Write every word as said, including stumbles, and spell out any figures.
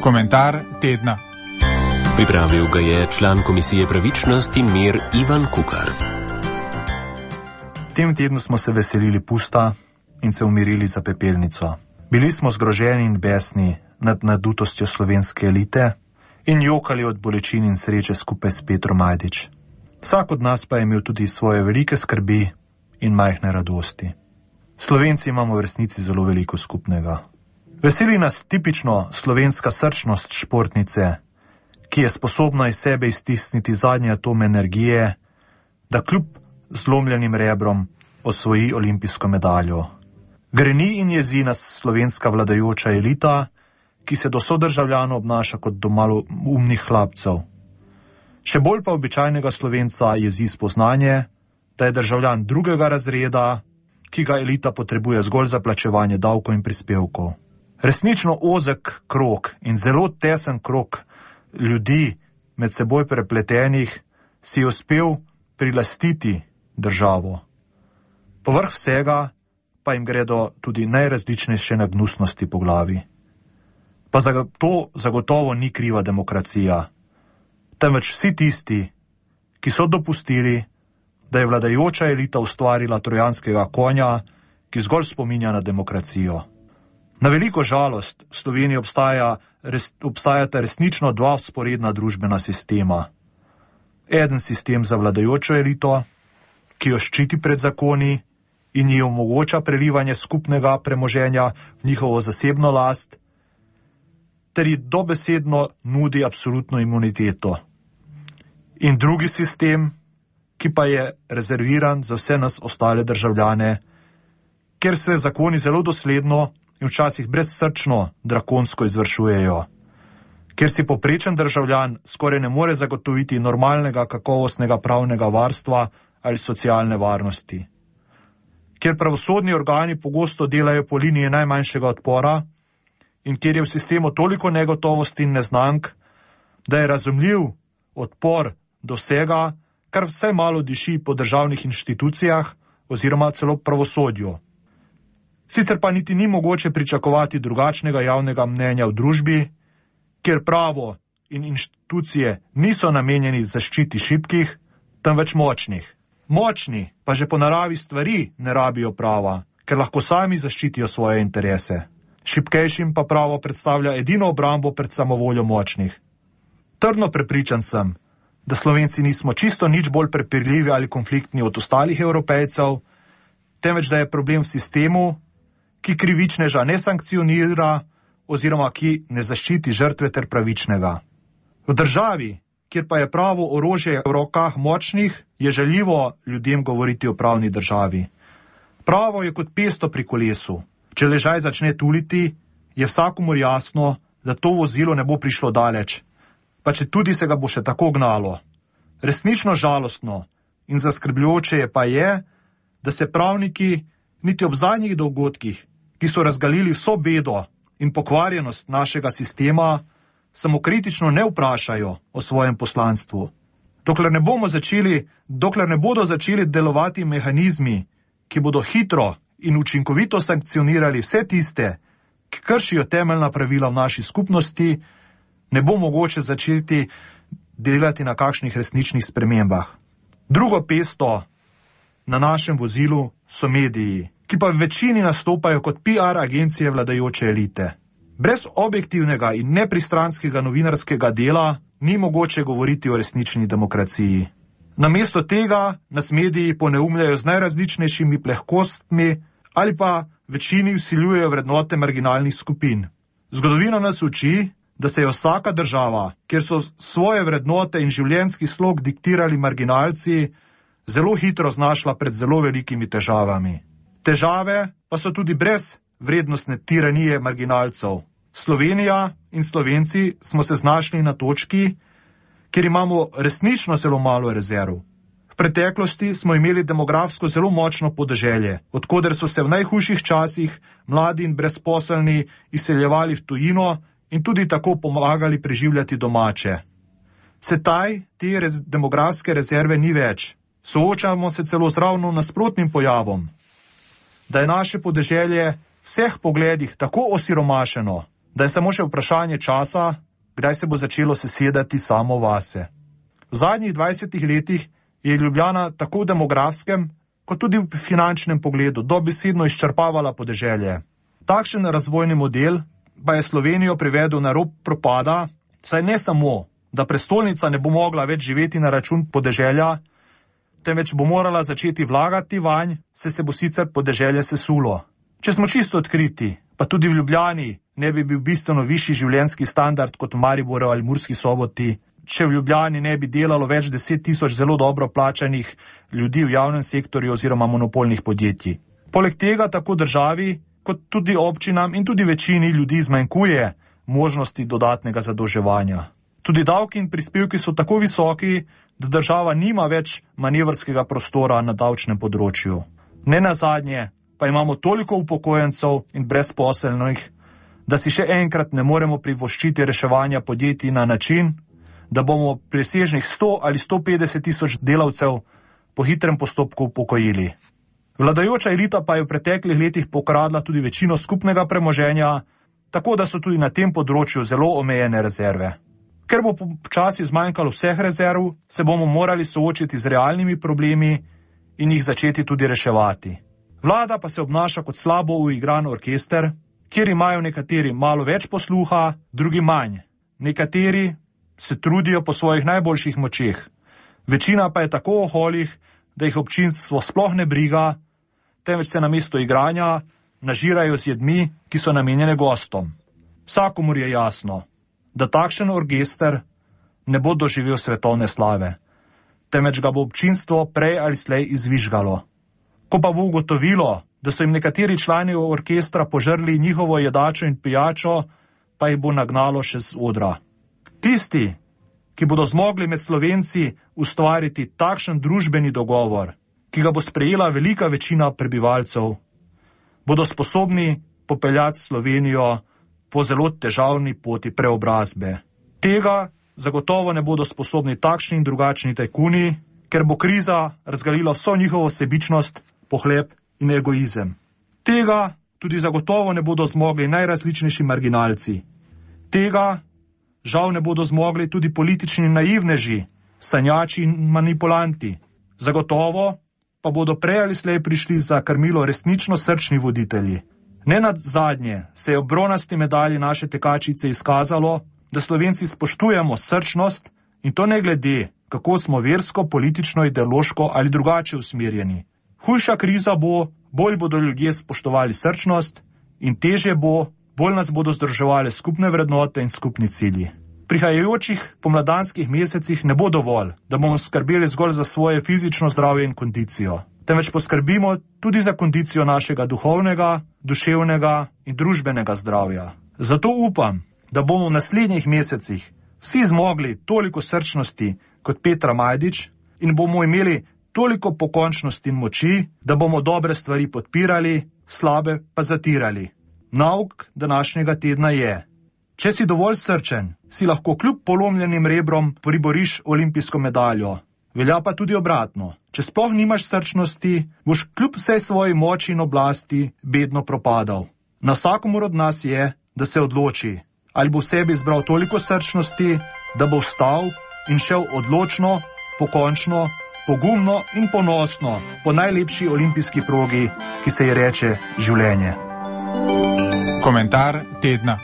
Komentar tedna. Pripravil ga je član Komisije Pravičnost in mir Ivan Kukar. Tem tednu smo se veselili pusta in se umirili za pepelnico. Bili smo zgroženi in besni nad nadutostjo slovenske elite in jokali od bolečin in sreče skupaj s Petrom Majdič. Vsak od nas pa je imel tudi svoje velike skrbi in majhne radosti. Slovenci imamo v resnici zelo veliko skupnega. Veseli nas tipično slovenska srčnost športnice, ki je sposobna iz sebe iztisniti zadnji atom energije, da kljub zlomljenim rebrom osvoji olimpijsko medaljo. Greni in jezi nas slovenska vladajoča elita, ki se do sodržavljanov obnaša kot do malo umnih hlapcev. Še bolj pa običajnega Slovenca jezi spoznanje, da je državljan drugega razreda, ki ga elita potrebuje zgolj za plačevanje davkov in prispevkov. Resnično ozek krog in zelo tesen krog ljudi med seboj prepletenih si je uspel prilastiti državo. Povrh vsega pa jim gredo tudi najrazličnejše nagnusnosti po glavi. Pa za to zagotovo ni kriva demokracija, temveč vsi tisti, ki so dopustili, da je vladajoča elita ustvarila trojanskega konja, ki zgolj spominja na demokracijo. Na veliko žalost v Sloveniji obstaja, res, obstajata resnično dva vzporedna družbena sistema. Eden sistem za vladajočo elito, ki jo ščiti pred zakoni in ji omogoča prelivanje skupnega premoženja v njihovo zasebno last, ter ji dobesedno nudi absolutno imuniteto. In drugi sistem, ki pa je rezerviran za vse nas ostale državljane, kjer se zakoni zelo dosledno in včasih brezsrčno drakonsko izvršujejo, kjer si povprečen državljan skoraj ne more zagotoviti normalnega kakovostnega pravnega varstva ali socialne varnosti, kjer pravosodni organi pogosto delajo po liniji najmanjšega odpora in kjer je v sistemu toliko negotovosti in neznank, da je razumljiv odpor do vsega, kar vsaj malo diši po državnih inštitucijah oziroma celo pravosodju. Sicer pa niti ni mogoče pričakovati drugačnega javnega mnenja v družbi, kjer pravo in inštitucije niso namenjeni zaščiti šibkih, temveč močnih. Močni pa že po naravi stvari ne rabijo prava, ker lahko sami zaščitijo svoje interese. Šibkejšim pa pravo predstavlja edino obrambo pred samovoljo močnih. Trdno prepričan sem, da Slovenci nismo čisto nič bolj prepirljivi ali konfliktni od ostalih Evropejcev, temveč da je problem v sistemu, ki krivičneža ne sankcionira oziroma ki ne zaščiti žrtve ter pravičnega. V državi, kjer pa je pravo orožje v rokah močnih, je žaljivo ljudem govoriti o pravni državi. Pravo je kot pesto pri kolesu. Če ležaj začne tuliti, je vsakomur jasno, da to vozilo ne bo prišlo daleč, pa če tudi se ga bo še tako gnalo. Resnično žalostno in zaskrbljujoče je pa je, da se pravniki niti ob zadnjih dogodkih, ki so razgalili vso bedo in pokvarjenost našega sistema, samokritično ne vprašajo o svojem poslanstvu. Dokler ne bomo začeli, dokler ne bodo začeli delovati mehanizmi, ki bodo hitro in učinkovito sankcionirali vse tiste, ki kršijo temeljna pravila v naši skupnosti, ne bo mogoče začeti delati na kakšnih resničnih spremembah. Drugo pesto na našem vozilu so mediji, ki pa v večini nastopajo kot P R agencije vladajoče elite. Brez objektivnega in nepristranskega novinarskega dela ni mogoče govoriti o resnični demokraciji. Namesto tega nas mediji poneumljajo z najrazličnejšimi plehkostmi ali pa večini vsiljujejo vrednote marginalnih skupin. Zgodovina nas uči, da se je vsaka država, kjer so svoje vrednote in življenjski slog diktirali marginalci, zelo hitro znašla pred zelo velikimi težavami. Težave pa so tudi brez vrednostne tiranije marginalcev. Slovenija in Slovenci smo se znašli na točki, kjer imamo resnično zelo malo rezerv. V preteklosti smo imeli demografsko zelo močno podeželje, od koder so se v najhujših časih mladi in brezposelni izseljevali v tujino in tudi tako pomagali preživljati domače. Sedaj te rez- demografske rezerve ni več. Soočamo se celo z ravno nasprotnim pojavom, da je naše podeželje v vseh pogledih tako osiromašeno, da je samo še vprašanje časa, kdaj se bo začelo sesedati samo vase. V zadnjih dvajsetih letih je Ljubljana tako v demografskem, kot tudi v finančnem pogledu dobesedno izčrpavala podeželje. Takšen razvojni model pa je Slovenijo privedel na rob propada, saj ne samo, da prestolnica ne bo mogla več živeti na račun podeželja, temveč bo morala začeti vlagati vanj, se se bo sicer podeželje sesulo. Če smo čisto odkriti, pa tudi v Ljubljani ne bi bil bistveno višji življenjski standard kot v Mariboru ali Murski Soboti, če v Ljubljani ne bi delalo več deset tisoč zelo dobro plačanih ljudi v javnem sektorju oziroma monopolnih podjetij. Poleg tega tako državi, kot tudi občinam in tudi večini ljudi zmanjkuje možnosti dodatnega zadolževanja. Tudi davki in prispevki so tako visoki, da država nima več manevrskega prostora na davčnem področju. Ne nazadnje pa imamo toliko upokojencev in brezposelnih, da si še enkrat ne moremo privoščiti reševanja podjetij na način, da bomo presežnih sto ali sto petdeset tisoč delavcev po hitrem postopku upokojili. Vladajoča elita pa je v preteklih letih pokradla tudi večino skupnega premoženja, tako da so tudi na tem področju zelo omejene rezerve. Ker bo počasi zmanjkalo vseh rezerv, se bomo morali soočiti z realnimi problemi in jih začeti tudi reševati. Vlada pa se obnaša kot slabo uigran orkester, kjer imajo nekateri malo več posluha, drugi manj. Nekateri se trudijo po svojih najboljših močeh. Večina pa je tako oholih, da jih občinstvo sploh ne briga, temveč se namesto igranja nažirajo z jedmi, ki so namenjene gostom. Vsakomur je jasno, da takšen orkester ne bo doživel svetovne slave, temveč ga bo občinstvo prej ali slej izvižgalo. Ko pa bo ugotovilo, da so jim nekateri člani orkestra požrli njihovo jedačo in pijačo, pa jih bo nagnalo še z odra. Tisti, ki bodo zmogli med Slovenci ustvariti takšen družbeni dogovor, ki ga bo sprejela velika večina prebivalcev, bodo sposobni popeljati Slovenijo po zelo težavni poti preobrazbe. Tega zagotovo ne bodo sposobni takšni in drugačni tajkuni, ker bo kriza razgalila vso njihovo sebičnost, pohlep in egoizem. Tega tudi zagotovo ne bodo zmogli najrazličnejši marginalci. Tega žal ne bodo zmogli tudi politični naivneži, sanjači in manipulanti. Zagotovo pa bodo prej ali slej prišli za krmilo resnično srčni voditelji. Ne nazadnje se je ob bronasti medalji naše tekačice izkazalo, da Slovenci spoštujemo srčnost in to ne glede, kako smo versko, politično, ideološko ali drugače usmerjeni. Hujša kriza bo, bolj bodo ljudje spoštovali srčnost in težje bo, bolj nas bodo združevale skupne vrednote in skupni cilji. V prihajajočih pomladanskih mesecih ne bo dovolj, da bomo skrbeli zgolj za svoje fizično zdravje in kondicijo, temveč poskrbimo tudi za kondicijo našega duhovnega, duševnega in družbenega zdravja. Zato upam, da bomo v naslednjih mesecih vsi zmogli toliko srčnosti kot Petra Majdič in bomo imeli toliko pokončnosti in moči, da bomo dobre stvari podpirali, slabe pa zatirali. Nauk današnjega tedna je: če si dovolj srčen, si lahko kljub polomljenim rebrom priboriš olimpijsko medaljo. Velja pa tudi obratno. Če sploh nimaš srčnosti, boš kljub vsej svoji moči in oblasti bedno propadal. Na vsakomur od nas je, da se odloči, ali bo v sebi izbral toliko srčnosti, da bo vstal in šel odločno, pokončno, pogumno in ponosno po najlepši olimpijski progi, ki se ji reče življenje. Komentar tedna.